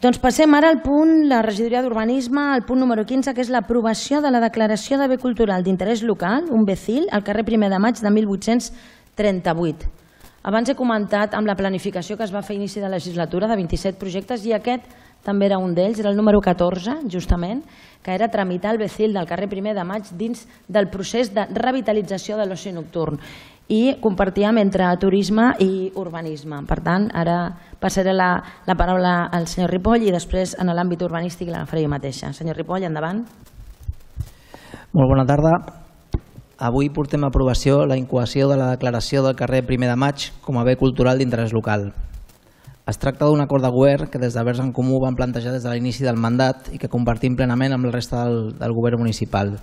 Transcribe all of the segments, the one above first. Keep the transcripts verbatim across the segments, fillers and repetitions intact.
Doncs passem ara al punt, la regidoria d'Urbanisme, al punt número quinze, que és l'aprovació de la declaració de bé cultural d'interès local, un B C I L, al carrer Primer de Maig de mil vuit-cents trenta-vuit. Abans he comentat amb la planificació que es va fer a inici de legislatura de vint-i-set projectes i aquest també era un d'ells, era el número catorze, justament, que era tramitar el B C I L del carrer Primer de Maig dins del procés de revitalització de l'oci nocturn. I compartíem entre turisme i urbanisme. Per tant, ara passaré la, la paraula al senyor Ripoll i després en l'àmbit urbanístic l'agafaré jo mateixa. Senyor Ripoll, endavant. Molt bona tarda. Avui portem a aprovació la incoació de la declaració del carrer Primer de Maig com a bé cultural d'interès local. Es tracta d'un acord de govern que des de Verds en Comú van plantejar des de l'inici del mandat i que compartim plenament amb la resta del, del govern municipal,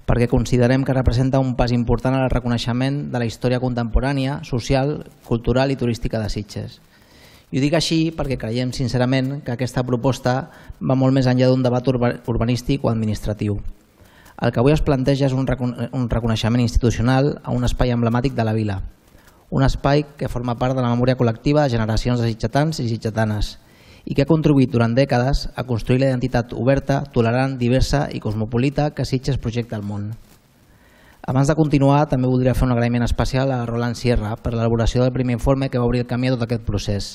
perquè considerem que representa un pas important en el reconeixement de la història contemporània, social, cultural i turística de Sitges. I ho dic així perquè creiem sincerament que aquesta proposta va molt més enllà d'un debat urbanístic o administratiu. El que avui es planteja és un reconeixement institucional a un espai emblemàtic de la vila, un espai que forma part de la memòria col·lectiva de generacions de sitgetans i sitgetanes i que ha contribuït durant dècades a construir la identitat oberta, tolerant, diversa i cosmopolita que Sitges projecta al món. Abans de continuar, també voldria fer un agraïment especial a Roland Sierra per l'elaboració del primer informe que va obrir el camí a tot aquest procés.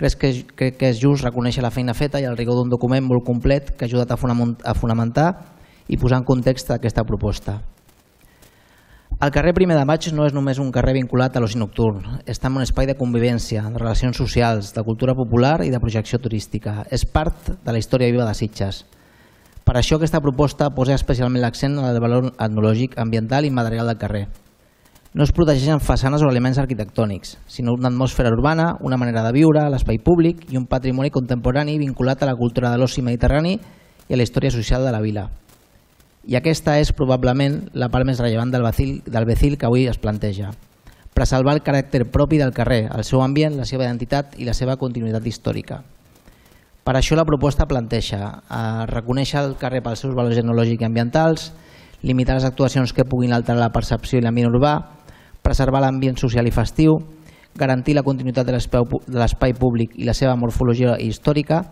Crec que, crec que és just reconèixer la feina feta i el rigor d'un document molt complet que ha ajudat a fonamentar i posar en context aquesta proposta. El carrer Primer de Maig no és només un carrer vinculat a l'oci nocturn, és també un espai de convivència, de relacions socials, de cultura popular i de projecció turística. És part de la història viva de Sitges. Per això aquesta proposta posa especialment l'accent en el valor etnològic, ambiental i material del carrer. No es protegeixen façanes o elements arquitectònics, sinó una atmosfera urbana, una manera de viure, l'espai públic i un patrimoni contemporani vinculat a la cultura de l'oci mediterrani i a la història social de la vila. I aquesta és probablement la part més rellevant del B C I L que avui es planteja. Preservar el caràcter propi del carrer, el seu ambient, la seva identitat i la seva continuïtat històrica. Per això la proposta planteja reconèixer el carrer pels seus valors etnològics i ambientals, limitar les actuacions que puguin alterar la percepció i l'ambient urbà, preservar l'ambient social i festiu, garantir la continuïtat de l'espai públic i la seva morfologia històrica,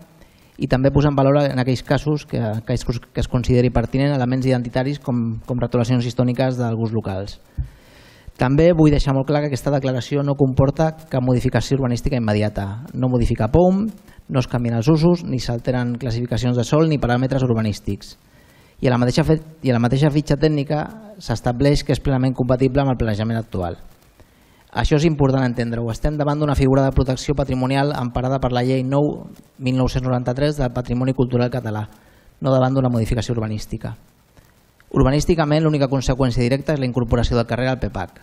i també posar en valor en aquells casos que, que, es, que es consideri pertinent elements identitaris com, com retolacions històriques d'alguns locals. També vull deixar molt clar que aquesta declaració no comporta cap modificació urbanística immediata. No modifica P O M, no es canvien els usos, ni s'alteren classificacions de sòl ni paràmetres urbanístics. I a la mateixa, i a la mateixa fitxa tècnica s'estableix que és plenament compatible amb el planejament actual. Això és important entendre-ho. Estem davant d'una figura de protecció patrimonial emparada per la Llei nou mil nou-cents noranta-tres del Patrimoni Cultural Català, no davant d'una modificació urbanística. Urbanísticament, l'única conseqüència directa és la incorporació del carrer al P PAC.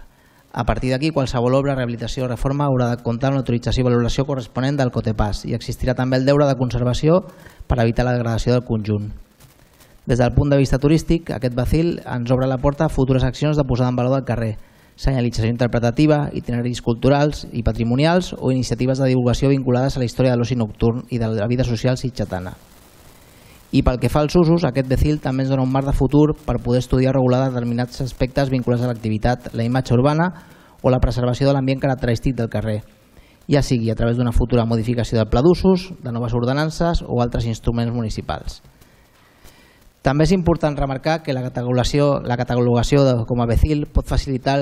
A partir d'aquí, qualsevol obra, rehabilitació o reforma haurà de comptar amb l'autorització i valoració corresponent del COTEPAS i existirà també el deure de conservació per evitar la degradació del conjunt. Des del punt de vista turístic, aquest B C I L ens obre la porta a futures accions de posada en valor del carrer, senyalització interpretativa, itineraris culturals i patrimonials o iniciatives de divulgació vinculades a la història de l'oci nocturn i de la vida social sitgetana. I pel que fa als usos, aquest B C I L també ens dona un marc de futur per poder estudiar o regular determinats aspectes vinculats a l'activitat, la imatge urbana o la preservació de l'ambient característic del carrer, ja sigui a través d'una futura modificació del pla d'usos, de noves ordenances o altres instruments municipals. També és important remarcar que la catalogació, la catalogació de, com a B C I L pot facilitar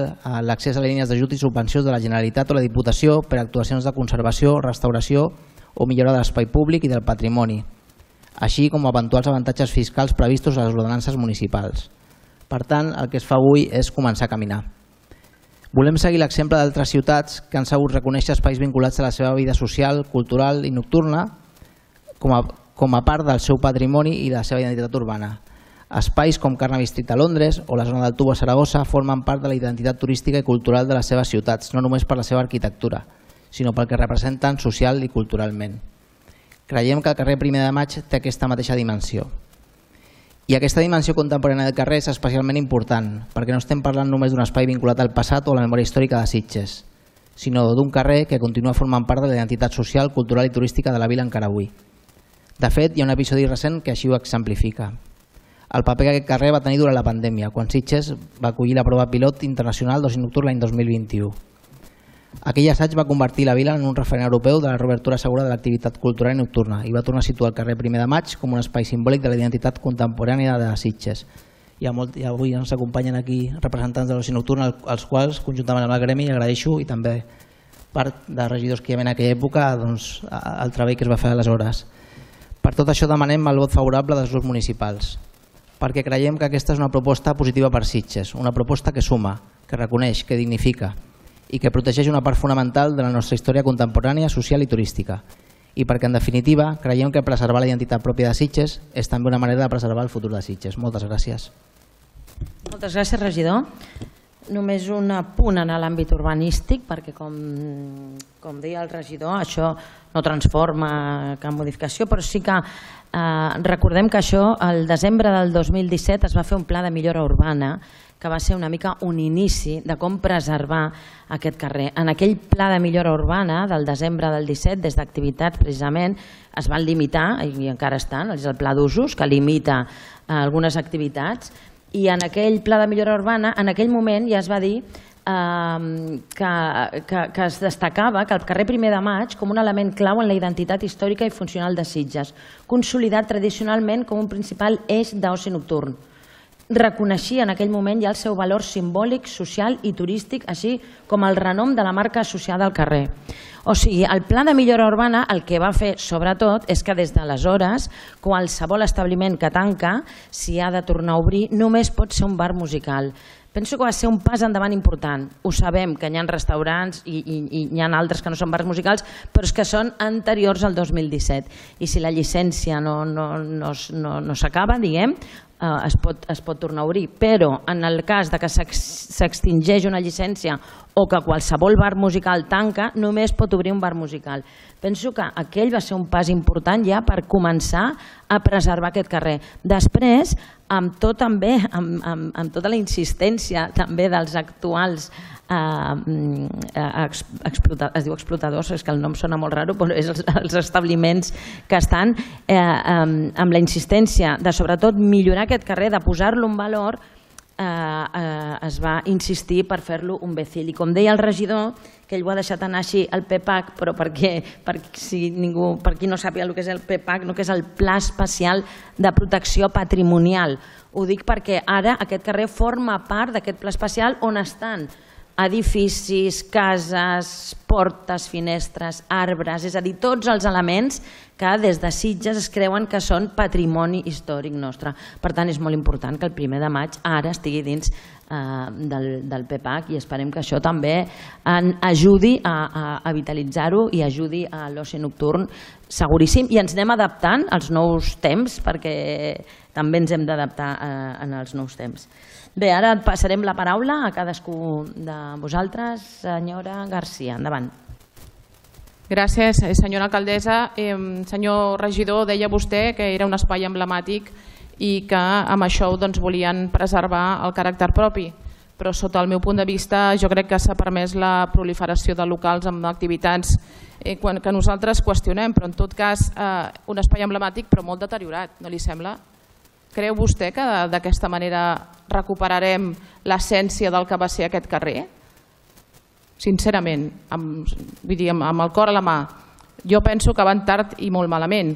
l'accés a les línies d'ajut i subvencions de la Generalitat o la Diputació per a actuacions de conservació, restauració o millora de l'espai públic i del patrimoni, així com eventuals avantatges fiscals previstos a les ordenances municipals. Per tant, el que es fa avui és començar a caminar. Volem seguir l'exemple d'altres ciutats que han sabut reconèixer espais vinculats a la seva vida social, cultural i nocturna com a com a part del seu patrimoni i la seva identitat urbana. Espais com Carnaby Street a Londres o la zona del Tubo a Saragossa formen part de la identitat turística i cultural de les seves ciutats, no només per la seva arquitectura, sinó pel que representen social i culturalment. Creiem que el carrer Primer de Maig té aquesta mateixa dimensió. I aquesta dimensió contemporània del carrer és especialment important, perquè no estem parlant només d'un espai vinculat al passat o a la memòria històrica de Sitges, sinó d'un carrer que continua formant part de la identitat social, cultural i turística de la vila encara avui. De fet, hi ha un episodi recent que així ho exemplifica. El paper que aquest carrer va tenir durant la pandèmia, quan Sitges va acollir la prova pilot internacional d'oci nocturn l'any dos mil vint-i-u. Aquell assaig va convertir la vila en un referent europeu de la reobertura segura de l'activitat cultural i nocturna i va tornar a situar el carrer Primer de Maig com un espai simbòlic de la identitat contemporània de Sitges. I avui ens acompanyen aquí representants de l'oci nocturn, als quals, conjuntament amb el gremi, agraeixo, i també part de regidors que hi havia en aquella època, el treball que es va fer aleshores. Per tot això demanem el vot favorable dels grups municipals, perquè creiem que aquesta és una proposta positiva per Sitges, una proposta que suma, que reconeix, que dignifica i que protegeix una part fonamental de la nostra història contemporània, social i turística. I perquè, en definitiva, creiem que preservar la identitat pròpia de Sitges és també una manera de preservar el futur de Sitges. Moltes gràcies. Moltes gràcies, regidor. Només un apunt en l'àmbit urbanístic, perquè com, com deia el regidor, això no transforma cap modificació, però sí que eh, recordem que això, el desembre del dos mil disset, es va fer un pla de millora urbana que va ser una mica un inici de com preservar aquest carrer. En aquell pla de millora urbana del desembre del disset, des d'activitats precisament, es van limitar, i encara estan, és el pla d'usos, que limita algunes activitats, i en aquell pla de millora urbana, en aquell moment ja es va dir eh, que, que, que es destacava que el carrer Primer de Maig com un element clau en la identitat històrica i funcional de Sitges, consolidat tradicionalment com un principal eix d'oci nocturn. Reconeixia en aquell moment ja el seu valor simbòlic, social i turístic, així com el renom de la marca associada al carrer. O sigui, el pla de millora urbana el que va fer, sobretot, és que des d'aleshores, qualsevol establiment que tanca, si ha de tornar a obrir, només pot ser un bar musical. Penso que va ser un pas endavant important. Ho sabem, que hi ha restaurants i, i, i hi ha altres que no són bars musicals, però és que són anteriors al dos mil disset. I si la llicència no, no, no, no, no s'acaba, diguem, eh, es, pot, es pot tornar a obrir. Però en el cas de que s'extingeix una llicència o que qualsevol bar musical tanca, només pot obrir un bar musical. Penso que aquell va ser un pas important ja per començar a preservar aquest carrer. Després, amb, tot, també, amb, amb, amb tota la insistència també dels actuals eh, explota, es diu explotadors, és que el nom sona molt raro, però és els, els establiments que estan eh, amb, amb la insistència de sobretot millorar aquest carrer, de posar-lo en valor, Eh, eh, es va insistir per fer-lo un becil. I com deia el regidor, que ell ho ha deixat anar així, el P E P A C, però perquè, per, si ningú, per qui no sàpiga el que és el P E P A C, no, que és el Pla Especial de Protecció Patrimonial. Ho dic perquè ara aquest carrer forma part d'aquest pla especial on estan edificis, cases, portes, finestres, arbres, és a dir, tots els elements que des de Sitges es creuen que són patrimoni històric nostre. Per tant, és molt important que el primer de maig ara estigui dins eh, del, del P E P A C i esperem que això també en ajudi a, a vitalitzar-ho i ajudi a l'oci nocturn seguríssim, i ens anem adaptant als nous temps perquè també ens hem d'adaptar eh, en els nous temps. Bé, ara passarem la paraula a cadascú de vosaltres. Senyora Garcia, endavant. Gràcies, senyora alcaldessa. Eh, senyor regidor, deia vostè que era un espai emblemàtic i que amb això doncs, volien preservar el caràcter propi, però sota el meu punt de vista jo crec que s'ha permès la proliferació de locals amb activitats eh, que nosaltres qüestionem, però en tot cas eh, un espai emblemàtic però molt deteriorat, no li sembla? Creu vostè que d'aquesta manera recuperarem l'essència del que va ser aquest carrer? Sincerament, amb, vull dir, amb el cor a la mà, jo penso que van tard i molt malament.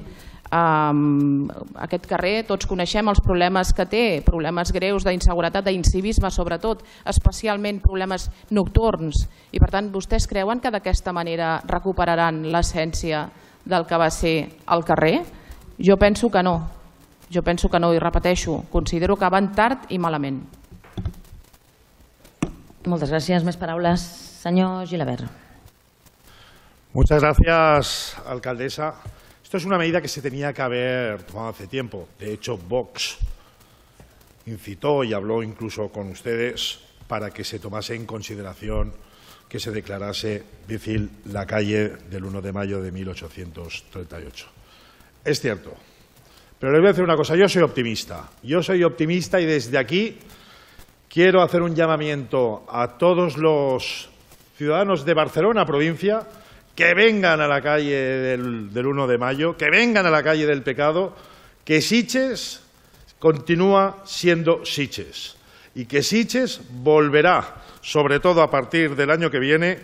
Um, aquest carrer, tots coneixem els problemes que té, problemes greus d'inseguretat, d'incivisme sobretot, especialment problemes nocturns, i per tant vostès creuen que d'aquesta manera recuperaran l'essència del que va ser el carrer? Jo penso que no. Jo penso que no, i repeteixo, considero que van tard i malament. Moltes gràcies. Més paraules. Senyor Gilabert. Muchas gracias, alcaldesa. Esto es una medida que se tenía que haber tomado hace tiempo. De hecho, Vox incitó y habló incluso con ustedes para que se tomase en consideración que se declarase Becil la calle del uno de mayo de mil ochocientos treinta y ocho. Es cierto. Pero les voy a decir una cosa, yo soy optimista, yo soy optimista y desde aquí quiero hacer un llamamiento a todos los ciudadanos de Barcelona, provincia, que vengan a la calle del, del uno de mayo, que vengan a la calle del Pecado, que Sitges continúa siendo Sitges y que Sitges volverá, sobre todo a partir del año que viene,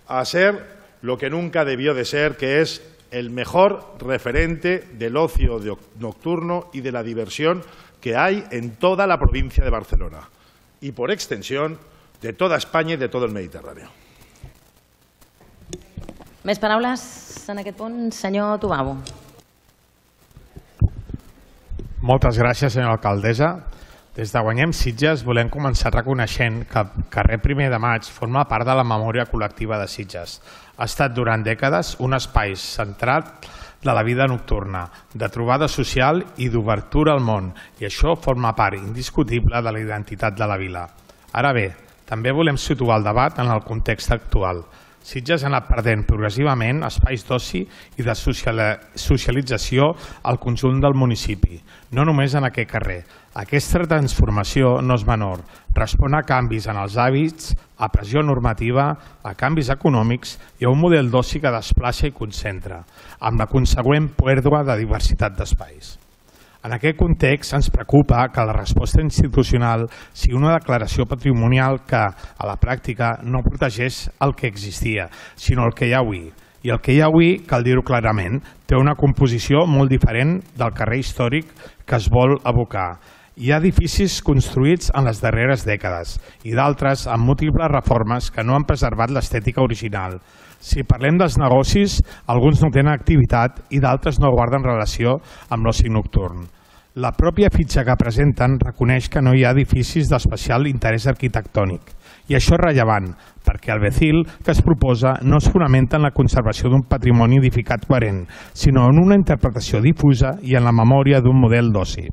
a ser lo que nunca debió de ser, que es el mejor referente del ocio nocturno y de la diversión que hay en toda la provincia de Barcelona y, por extensión, de toda Espanya i de tot el Mediterrani. Més paraules en aquest punt? Senyor Tubau. Moltes gràcies, senyora alcaldessa. Des de Guanyem Sitges volem començar reconeixent que el carrer Primer de Maig forma part de la memòria col·lectiva de Sitges. Ha estat durant dècades un espai centrat de la vida nocturna, de trobada social i d'obertura al món, i això forma part indiscutible de la identitat de la vila. Ara bé, també volem situar el debat en el context actual. Sitges ha anat perdent progressivament espais d'oci i de socialització al conjunt del municipi, no només en aquest carrer. Aquesta transformació no és menor, respon a canvis en els hàbits, a pressió normativa, a canvis econòmics i a un model d'oci que desplaça i concentra, amb la consegüent pèrdua de diversitat d'espais. En aquest context ens preocupa que la resposta institucional sigui una declaració patrimonial que, a la pràctica, no protegeix el que existia, sinó el que hi ha avui. I el que hi ha avui, cal dir-ho clarament, té una composició molt diferent del carrer històric que es vol evocar. Hi ha edificis construïts en les darreres dècades i d'altres amb múltiples reformes que no han preservat l'estètica original. Si parlem dels negocis, alguns no tenen activitat i d'altres no guarden relació amb l'oci nocturn. La pròpia fitxa que presenten reconeix que no hi ha edificis d'especial interès arquitectònic. I això és rellevant, perquè el B C I L que es proposa no es fonamenta en la conservació d'un patrimoni edificat coherent, sinó en una interpretació difusa i en la memòria d'un model d'oci.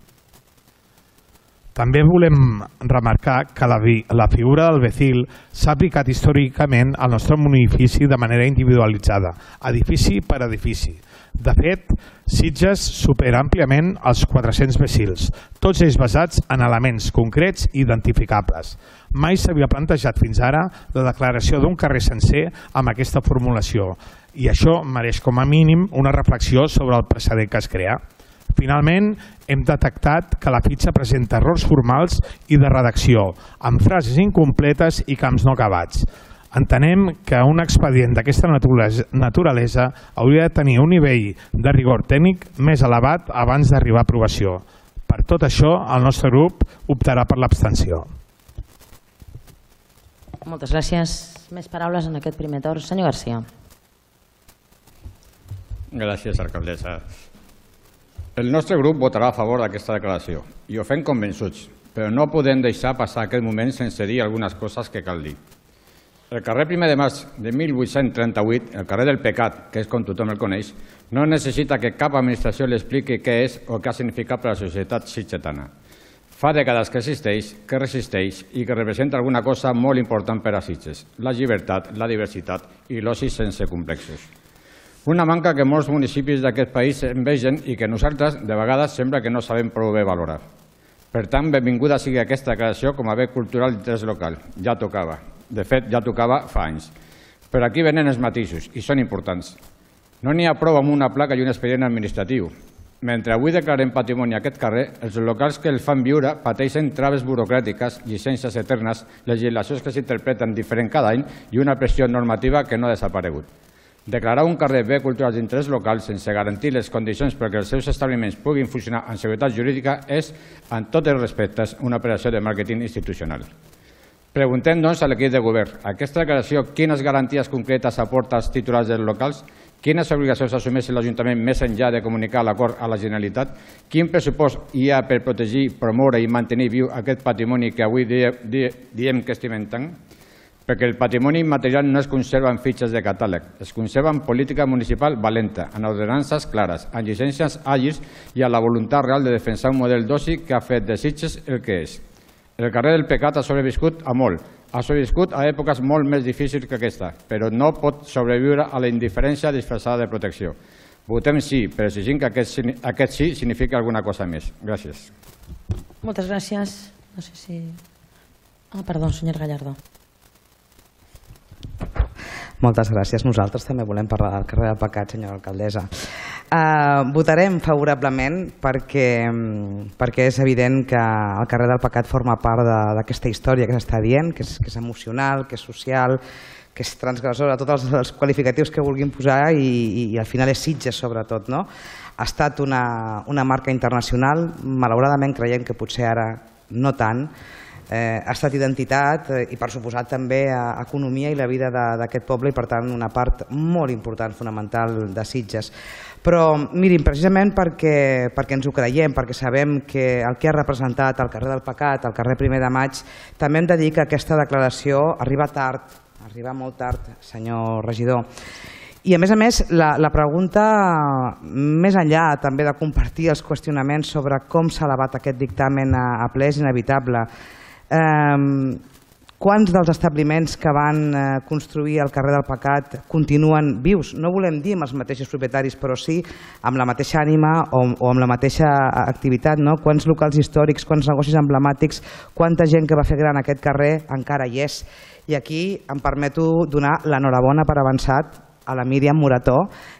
També volem remarcar que la, la figura del B C I L s'ha aplicat històricament al nostre municipi de manera individualitzada, edifici per edifici. De fet, Sitges supera àmpliament els quatre-cents B C I Ls, tots ells basats en elements concrets i identificables. Mai s'havia plantejat fins ara la declaració d'un carrer sencer amb aquesta formulació i això mereix com a mínim una reflexió sobre el precedent que es crea. Finalment, hem detectat que la fitxa presenta errors formals i de redacció, amb frases incompletes i camps no acabats. Entenem que un expedient d'aquesta naturalesa hauria de tenir un nivell de rigor tècnic més elevat abans d'arribar a aprovació. Per tot això, el nostre grup optarà per l'abstenció. Moltes gràcies. Més paraules en aquest primer torn. Senyor García. Gràcies, alcaldessa. El nostre grup votarà a favor d'aquesta declaració i ho fem convençuts, però no podem deixar passar aquest moment sense dir algunes coses que cal dir. El carrer Primer de Maig de mil vuit-cents trenta-vuit, el carrer del Pecat, que és com tothom el coneix, no necessita que cap administració li expliqui què és o què ha significat per a la societat sitgetana. Fa dècades que existeix, que resisteix i que representa alguna cosa molt important per a Sitges, la llibertat, la diversitat i l'oci sense complexos. Una manca que molts municipis d'aquest país envegen i que nosaltres, de vegades, sembla que no sabem prou bé valorar. Per tant, benvinguda sigui aquesta declaració com a bé cultural d'interès local. Ja tocava. De fet, ja tocava fa anys. Però aquí venen els matisos, i són importants. No n'hi ha prou amb una placa i un expedient administratiu. Mentre avui declarem patrimoni a aquest carrer, els locals que el fan viure pateixen traves burocràtiques, llicències eternes, legislacions que s'interpreten diferent cada any i una pressió normativa que no ha desaparegut. Declarar un carrer bé cultural d'interès local sense garantir les condicions perquè els seus establiments puguin funcionar amb seguretat jurídica és, en tots els respectes, una operació de màrqueting institucional. Preguntem, doncs, a l'equip de govern, aquesta declaració quines garanties concretes aporta als titulars dels locals, quines obligacions assumeix l'Ajuntament més enllà de comunicar l'acord a la Generalitat, quin pressupost hi ha per protegir, promoure i mantenir viu aquest patrimoni que avui diem que estimem tant? Perquè el patrimoni immaterial no es conserva en fitxes de catàleg, es conserva en política municipal valenta, en ordenances clares, en llicències àgils i en la voluntat real de defensar un model d'oci que ha fet de Sitges el que és. El carrer del Pecat ha sobreviscut a molt, ha sobreviscut a èpoques molt més difícils que aquesta, però no pot sobreviure a la indiferència disfressada de protecció. Votem sí, però exigim que aquest, aquest sí signifiqui alguna cosa més. Gràcies. Moltes gràcies. No sé si... Ah, perdó, senyor Gallardo. Moltes gràcies. Nosaltres també volem parlar del carrer del Pecat, senyora alcaldessa. Uh, votarem favorablement perquè, perquè és evident que el carrer del Pecat forma part d'aquesta història que s'està dient, que és, que és emocional, que és social, que és transgressora, tots els qualificatius que vulguin posar i, i al final és Sitges sobretot. No? Ha estat una, una marca internacional, malauradament creiem que potser ara no tant, eh, ha estat identitat eh, i per suposat també a economia i la vida d'aquest poble i per tant una part molt important, fonamental de Sitges. Però mirin, precisament perquè, perquè ens ho creiem, perquè sabem que el que ha representat el carrer del Pecat, el carrer Primer de Maig, també hem de dir que aquesta declaració arriba tard, arriba molt tard, senyor regidor. I a més a més, la, la pregunta, més enllà també de compartir els qüestionaments sobre com s'ha elevat aquest dictamen a, a ple, és inevitable. Eh, quants dels establiments que van eh, construir el carrer del Pecat continuen vius? No volem dir amb els mateixos propietaris, però sí amb la mateixa ànima o, o amb la mateixa activitat. No? Quants locals històrics, quants negocis emblemàtics, quanta gent que va fer gran aquest carrer encara hi és. I aquí em permeto donar l'enhorabona per avançat a la Míriam Morató,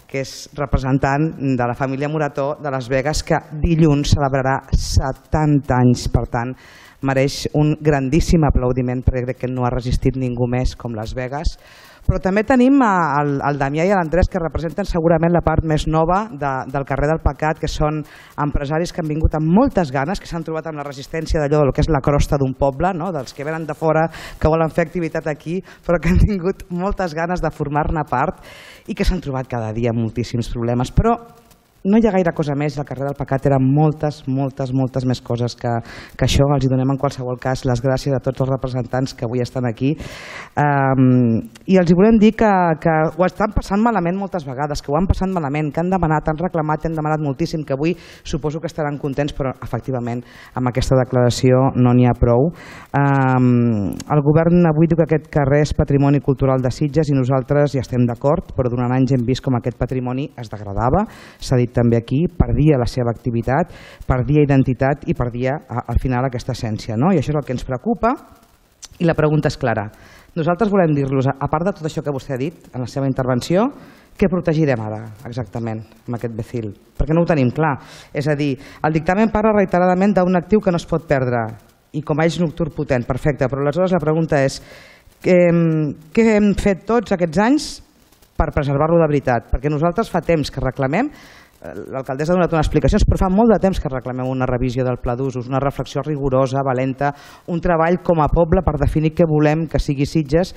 que és representant de la família Morató de Las Vegas, que dilluns celebrarà setanta anys. Per tant, mereix un grandíssim aplaudiment perquè crec que no ha resistit ningú més com Las Vegas. Però també tenim el, el Damià i l'Andrés, que representen segurament la part més nova de, del carrer del Pecat, que són empresaris que han vingut amb moltes ganes, que s'han trobat amb la resistència d'allò del que és la crosta d'un poble, no? Dels que venen de fora, que volen fer activitat aquí, però que han tingut moltes ganes de formar-ne part i que s'han trobat cada dia moltíssims problemes. Però no hi ha gaire cosa més, el carrer del Pecat eren moltes, moltes, moltes més coses que, que això. Els hi donem en qualsevol cas les gràcies a tots els representants que avui estan aquí. Um, I els hi volem dir que, que ho estan passant malament moltes vegades, que ho han passat malament, que han demanat, han reclamat, han demanat moltíssim, que avui suposo que estaran contents, però efectivament amb aquesta declaració no n'hi ha prou. Um, el govern avui diu que aquest carrer és patrimoni cultural de Sitges i nosaltres hi estem d'acord, però durant anys hem vist com aquest patrimoni es degradava, s'ha dit també aquí, perdia la seva activitat, perdia identitat i perdia al final aquesta essència. No? I això és el que ens preocupa i la pregunta és clara. Nosaltres volem dir-los, a part de tot això que vostè ha dit en la seva intervenció, què protegirem ara exactament amb aquest Becil? Perquè no ho tenim clar. És a dir, el dictamen parla reiteradament d'un actiu que no es pot perdre i com a eix nocturn potent, perfecte, però aleshores la pregunta és què hem fet tots aquests anys per preservar-lo de veritat? Perquè nosaltres fa temps que reclamem, l'alcaldessa ha donat unes explicacions, però fa molt de temps que reclamem una revisió del pla d'usos, una reflexió rigorosa, valenta, un treball com a poble per definir què volem que sigui Sitges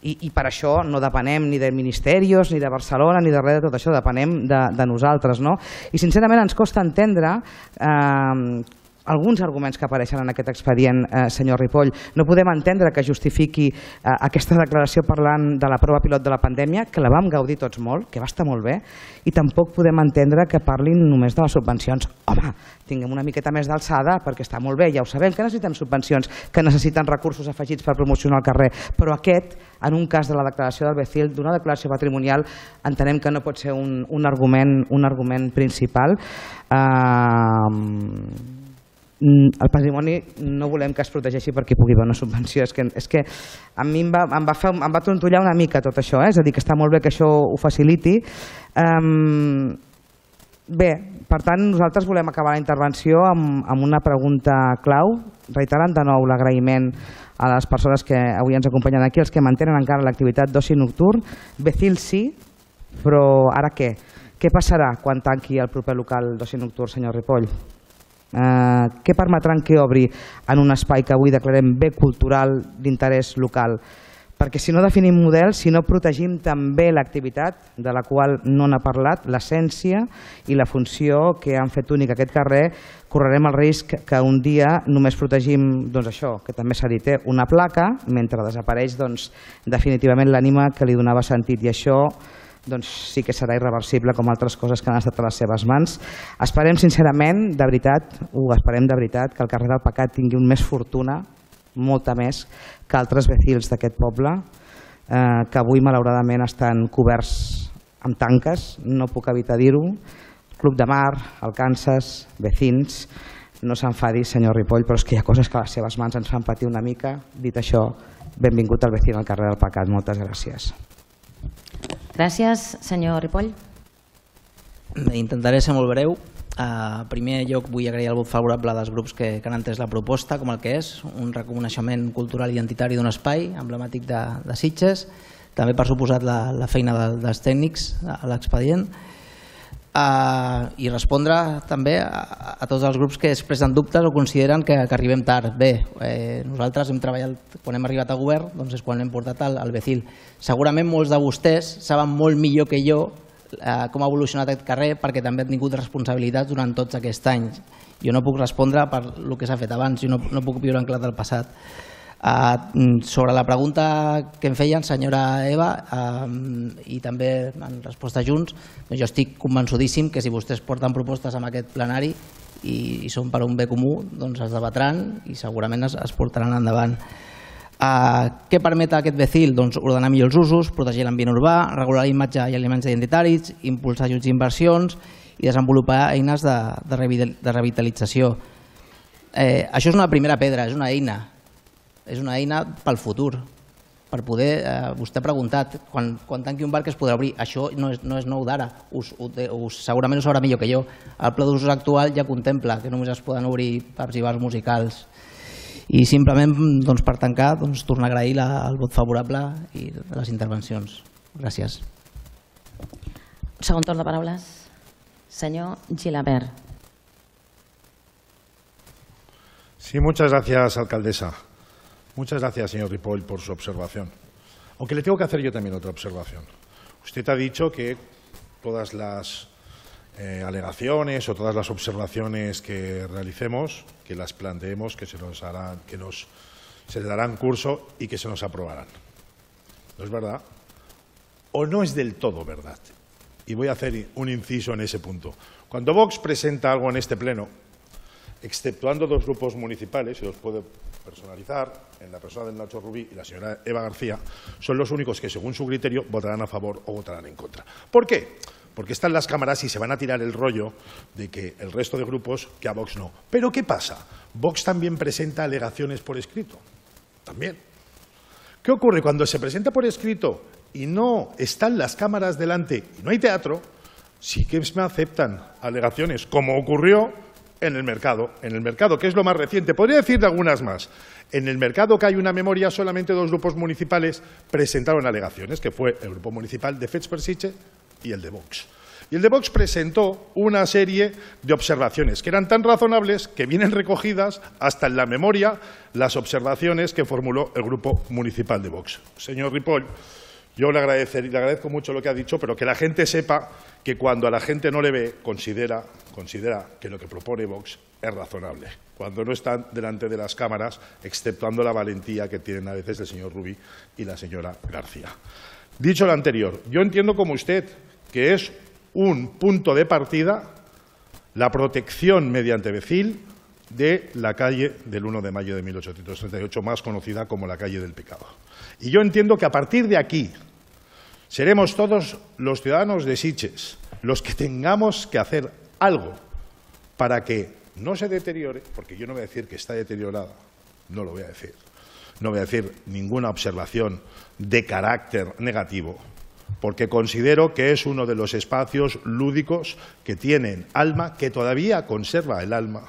i, i per això no depenem ni de ministeris, ni de Barcelona, ni de res de tot això, depenem de, de nosaltres. No? I sincerament ens costa entendre eh, alguns arguments que apareixen en aquest expedient, eh, senyor Ripoll. No podem entendre que justifiqui eh, aquesta declaració parlant de la prova pilot de la pandèmia, que la vam gaudir tots molt, que va estar molt bé, i tampoc podem entendre que parlin només de les subvencions. Home, tinguem una miqueta més d'alçada, perquè està molt bé, ja ho sabem, que necessiten subvencions, que necessiten recursos afegits per promocionar el carrer, però aquest, en un cas de la declaració del Becil, d'una declaració patrimonial, entenem que no pot ser un, un, argument, un argument principal. Eh... El patrimoni no volem que es protegeixi perquè pugui haver una subvenció. És que, és que a mi em va, em, va fer, em va trontollar una mica tot això, eh? És a dir, que està molt bé que això ho faciliti. Um, bé, per tant, nosaltres volem acabar la intervenció amb, amb una pregunta clau, reiterant de nou l'agraïment a les persones que avui ens acompanyen aquí, els que mantenen encara l'activitat d'oci nocturn. Becil sí, però ara què? Què passarà quan tanqui el proper local d'oci nocturn, senyor Ripoll? Uh, què permetran que obri en un espai que avui declarem bé cultural d'interès local? Perquè si no definim model, si no protegim també l'activitat de la qual no n'ha parlat, l'essència i la funció que han fet únic aquest carrer, correrem el risc que un dia només protegim doncs això, que també s'ha dit, eh, una placa, mentre desapareix doncs, definitivament l'ànima que li donava sentit, i això doncs sí que serà irreversible com altres coses que han estat a les seves mans. Esperem sincerament, de veritat, ho esperem de veritat, que el carrer del Pecat tingui un més fortuna, molta més, que altres vecils d'aquest poble, eh, que avui malauradament estan coberts amb tanques, no puc evitar dir-ho. Club de Mar, Alcances, vecins, no s'enfadi, senyor Ripoll, però és que hi ha coses que a les seves mans ens fan patir una mica. Dit això, benvingut al vecino al carrer del Pecat. Moltes gràcies. Gràcies, senyor Ripoll. Intentaré ser molt breu. En primer lloc vull agrair el vot favorable dels grups que, que han entès la proposta com el que és, un reconeixement cultural i identitari d'un espai emblemàtic de, de Sitges. també per suposat la, la feina de, dels tècnics a l'expedient, uh, i respondre també a, a tots els grups que expressen dubtes o consideren que, que arribem tard. Bé, eh, nosaltres hem treballat, quan hem arribat a govern, doncs és quan hem portat el, el Becil. Segurament molts de vostès saben molt millor que jo eh, com ha evolucionat aquest carrer, perquè també han tingut responsabilitats durant tots aquests anys. Jo no puc respondre per el que s'ha fet abans, jo no, no puc viure en clar del passat. Uh, sobre la pregunta que em feien, senyora Eva, uh, i també en resposta a Junts, jo estic convençudíssim que si vostès porten propostes en aquest plenari i, i són per un bé comú, doncs es debatran i segurament es, es portaran endavant. Uh, què permet aquest Becil? Doncs ordenar millor els usos, protegir l'ambient urbà, regular la imatge i elements identitaris, impulsar ajuts i inversions i desenvolupar eines de, de revitalització. Eh, això és una primera pedra, és una eina. És una eina pel futur, per poder, eh, vostè ha preguntat, quan, quan tanqui un bar que es podrà obrir, això no és, no és nou d'ara, us, us, segurament ho sabrà millor que jo. El pla d'usos actual ja contempla que només es poden obrir pubs i bars musicals. I simplement, doncs, per tancar, doncs, tornar a agrair la, el vot favorable i les intervencions. Gràcies. Segon torn de paraules. Senyor Gilabert. Sí, muchas gracias, alcaldesa. Muchas gracias, señor Ripoll, por su observación. Aunque le tengo que hacer yo también otra observación. Usted ha dicho que todas las eh, alegaciones o todas las observaciones que realicemos, que las planteemos, que se nos harán, que nos, se le darán curso y que se nos aprobarán. ¿No es verdad? ¿O no es del todo verdad? Y voy a hacer un inciso en ese punto. Cuando Vox presenta algo en este pleno, exceptuando dos grupos municipales, y los puede personalizar, en la persona del Nacho Rubí y la señora Eva García, son los únicos que, según su criterio, votarán a favor o votarán en contra. ¿Por qué? Porque están las cámaras y se van a tirar el rollo de que el resto de grupos, que a Vox no. ¿Pero qué pasa? Vox también presenta alegaciones por escrito. También. ¿Qué ocurre? Cuando se presenta por escrito y no están las cámaras delante y no hay teatro, sí que me aceptan alegaciones, como ocurrió en el mercado, en el mercado, que es lo más reciente. Podría decir de algunas más. En el mercado, que hay una memoria, solamente dos grupos municipales presentaron alegaciones, que fue el grupo municipal de Fets per Sitges y el de Vox. Y el de Vox presentó una serie de observaciones que eran tan razonables que vienen recogidas hasta en la memoria las observaciones que formuló el grupo municipal de Vox. Señor Ripoll, yo le, agradecer, le agradezco mucho lo que ha dicho, pero que la gente sepa que cuando a la gente no le ve, considera, considera que lo que propone Vox es razonable. Cuando no están delante de las cámaras, exceptuando la valentía que tienen a veces el señor Rubí y la señora García. Dicho lo anterior, yo entiendo como usted que es un punto de partida la protección mediante Becil de la calle del uno de mayo de mil ochocientos treinta y ocho, más conocida como la calle del Pecado. Y yo entiendo que a partir de aquí seremos todos los ciudadanos de Sitges los que tengamos que hacer algo para que no se deteriore, porque yo no voy a decir que está deteriorada, no lo voy a decir, no voy a decir ninguna observación de carácter negativo, porque considero que es uno de los espacios lúdicos que tienen alma, que todavía conserva el alma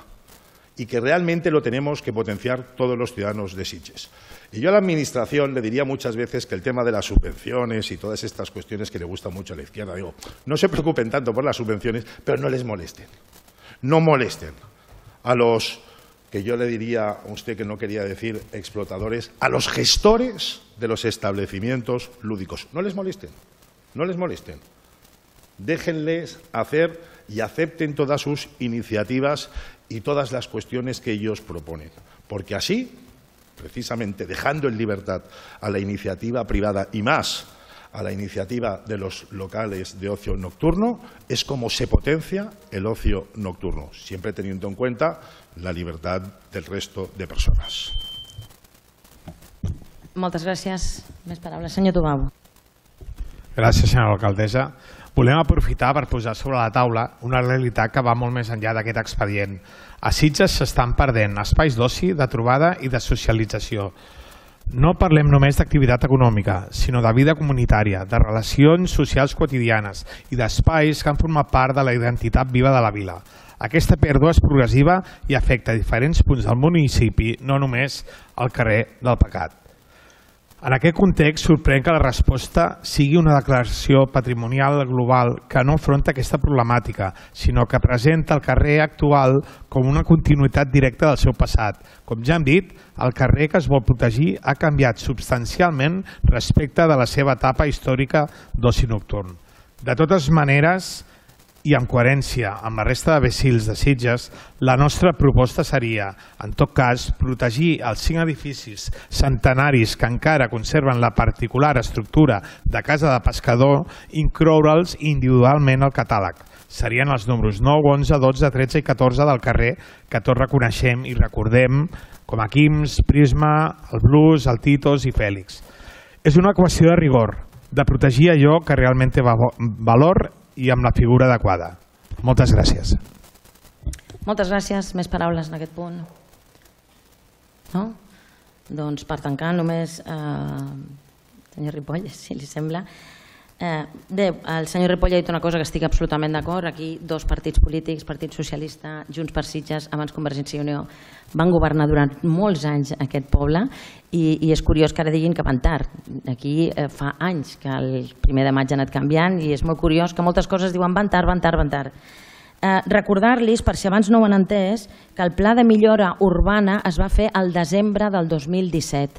y que realmente lo tenemos que potenciar todos los ciudadanos de Sitges. Y yo a la Administración le diría muchas veces que el tema de las subvenciones y todas estas cuestiones que le gustan mucho a la izquierda, digo, no se preocupen tanto por las subvenciones, pero no les molesten. No molesten a los, que yo le diría a usted que no quería decir explotadores, a los gestores de los establecimientos lúdicos. No les molesten, no les molesten. Déjenles hacer y acepten todas sus iniciativas y todas las cuestiones que ellos proponen, porque así, precisamente dejando en libertad a la iniciativa privada y más a la iniciativa de los locales de ocio nocturno, es como se potencia el ocio nocturno, siempre teniendo en cuenta la libertad del resto de personas. Moltes gràcies. Més paraules. Senyor Tubau. Gràcies, senyora alcaldessa. Volem aprofitar per posar sobre la taula una realitat que va molt més enllà d'aquest expedient. A Sitges s'estan perdent espais d'oci, de trobada i de socialització. No parlem només d'activitat econòmica, sinó de vida comunitària, de relacions socials quotidianes i d'espais que han format part de la identitat viva de la vila. Aquesta pèrdua és progressiva i afecta diferents punts del municipi, no només el carrer del Pecat. En aquest context, sorprèn que la resposta sigui una declaració patrimonial global que no enfronta aquesta problemàtica, sinó que presenta el carrer actual com una continuïtat directa del seu passat. Com ja hem dit, el carrer que es vol protegir ha canviat substancialment respecte de la seva etapa històrica d'oci nocturn. De totes maneres, i en coherència amb la resta de becils de Sitges, la nostra proposta seria, en tot cas, protegir els cinc edificis centenaris que encara conserven la particular estructura de casa de pescador, incloure'ls individualment al catàleg. Serien els números nou, onze, dotze, tretze i catorze del carrer que tots reconeixem i recordem com a Quims, Prisma, el Blues, el Titos i Fèlix. És una qüestió de rigor, de protegir allò que realment té valor i amb la figura adequada. Moltes gràcies. Moltes gràcies. Més paraules en aquest punt? No? Doncs per tancar només, eh, senyor Ripoll, si li sembla. Eh, bé, el senyor Ripoll ha dit una cosa que estic absolutament d'acord. Aquí dos partits polítics, Partit Socialista, Junts per Sitges, abans Convergència i Unió, van governar durant molts anys aquest poble i, i és curiós que ara diguin que van tard. Aquí eh, fa anys que el primer de maig ha anat canviant i és molt curiós que moltes coses diuen van tard, van tard, van tard. Eh, Recordar-los, per si abans no ho han entès, que el pla de millora urbana es va fer el desembre del dos mil disset.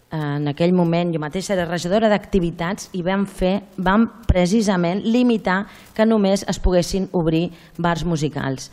En aquell moment jo mateixa era regidora d'activitats i vam fer, vam precisament limitar que només es poguessin obrir bars musicals.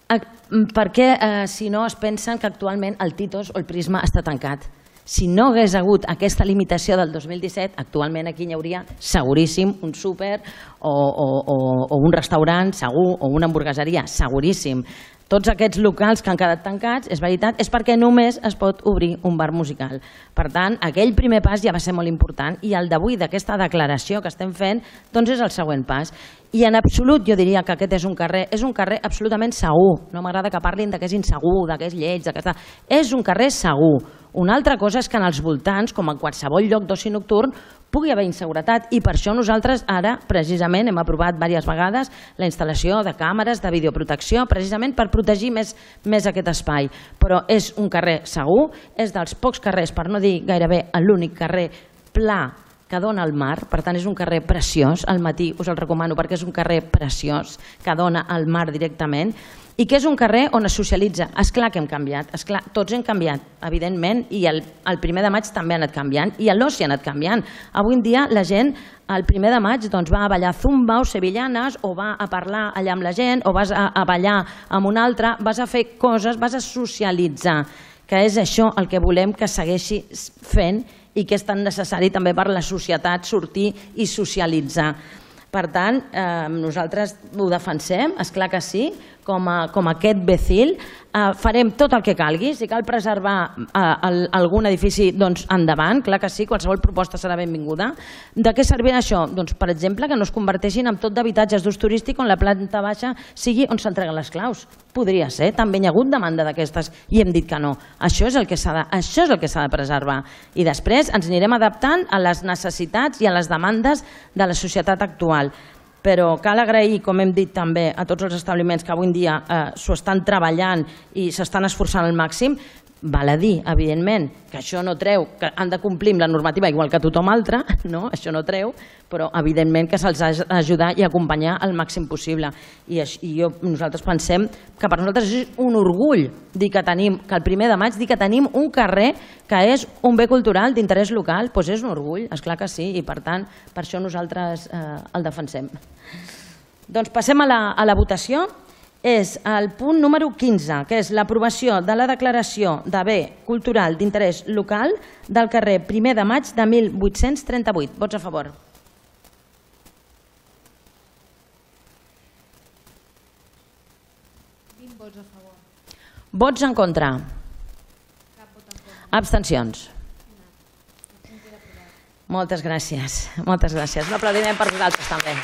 Perquè eh, si no es pensen que actualment el Titos o el Prisma està tancat. Si no hagués hagut aquesta limitació del dos mil disset, actualment aquí hi hauria seguríssim un súper o, o, o, o un restaurant segur o una hamburgueseria, seguríssim. Tots aquests locals que han quedat tancats, és veritat, és perquè només es pot obrir un bar musical. Per tant, aquell primer pas ja va ser molt important i el d'avui, d'aquesta declaració que estem fent, doncs és el següent pas. I en absolut jo diria que aquest és un carrer, és un carrer absolutament segur. No m'agrada que parlin que és insegur, que és lleig, que està... És un carrer segur. Una altra cosa és que en els voltants, com en qualsevol lloc d'oci nocturn, pugui haver inseguretat i per això nosaltres ara precisament hem aprovat diverses vegades la instal·lació de càmeres de videoprotecció precisament per protegir més, més aquest espai. Però és un carrer segur, és dels pocs carrers, per no dir gairebé l'únic carrer pla que dona al mar, per tant és un carrer preciós, al matí us el recomano perquè és un carrer preciós que dona al mar directament i que és un carrer on es socialitza. Esclar que hem canviat, esclar, tots hem canviat, evidentment, i el, el primer de maig també ha anat canviant i l'oci ha anat canviant. Avui en dia la gent el primer de maig doncs, va a ballar zumba o sevillanes o va a parlar allà amb la gent o vas a, a ballar amb un altre, vas a fer coses, vas a socialitzar, que és això el que volem que segueixi fent i que és tan necessari també per la societat sortir i socialitzar. Per tant, eh, nosaltres ho defensem, esclar que sí, com a, com a aquest becil, eh, farem tot el que calgui, si cal preservar eh, el, algun edifici, doncs endavant, clar que sí, qualsevol proposta serà benvinguda. De què servirà això? Doncs, per exemple, que no es converteixin en tot d'habitatges d'ús turístic on la planta baixa sigui on s'entreguen les claus. Podria ser, també hi ha hagut demanda d'aquestes i hem dit que no. Això és el que s'ha de, això és el que s'ha de preservar. I després ens anirem adaptant a les necessitats i a les demandes de la societat actual. Però cal agrair, com hem dit també, a tots els establiments que avui en dia eh, s'ho estan treballant i s'estan esforçant al màxim. Val a dir, evidentment, que això no treu, que han de complir amb la normativa igual que tothom altre, no? Això no treu, però evidentment que se'ls ha d'ajudar i acompanyar al màxim possible. I, i jo, nosaltres pensem que per nosaltres és un orgull dir que tenim, que el primer de maig dir que tenim un carrer que és un bé cultural d'interès local, doncs és un orgull, esclar que sí, i per tant, per això nosaltres eh, el defensem. Doncs passem a la, a la votació. És el punt número quinze, que és l'aprovació de la declaració de bé cultural d'interès local del carrer primer de maig de mil vuit-cents trenta-vuit. Vots a favor. vint vots a favor. Vots en contra. Cap vot en contra. Abstencions. Moltes gràcies. Moltes gràcies. Un aplaudiment per vosaltres també.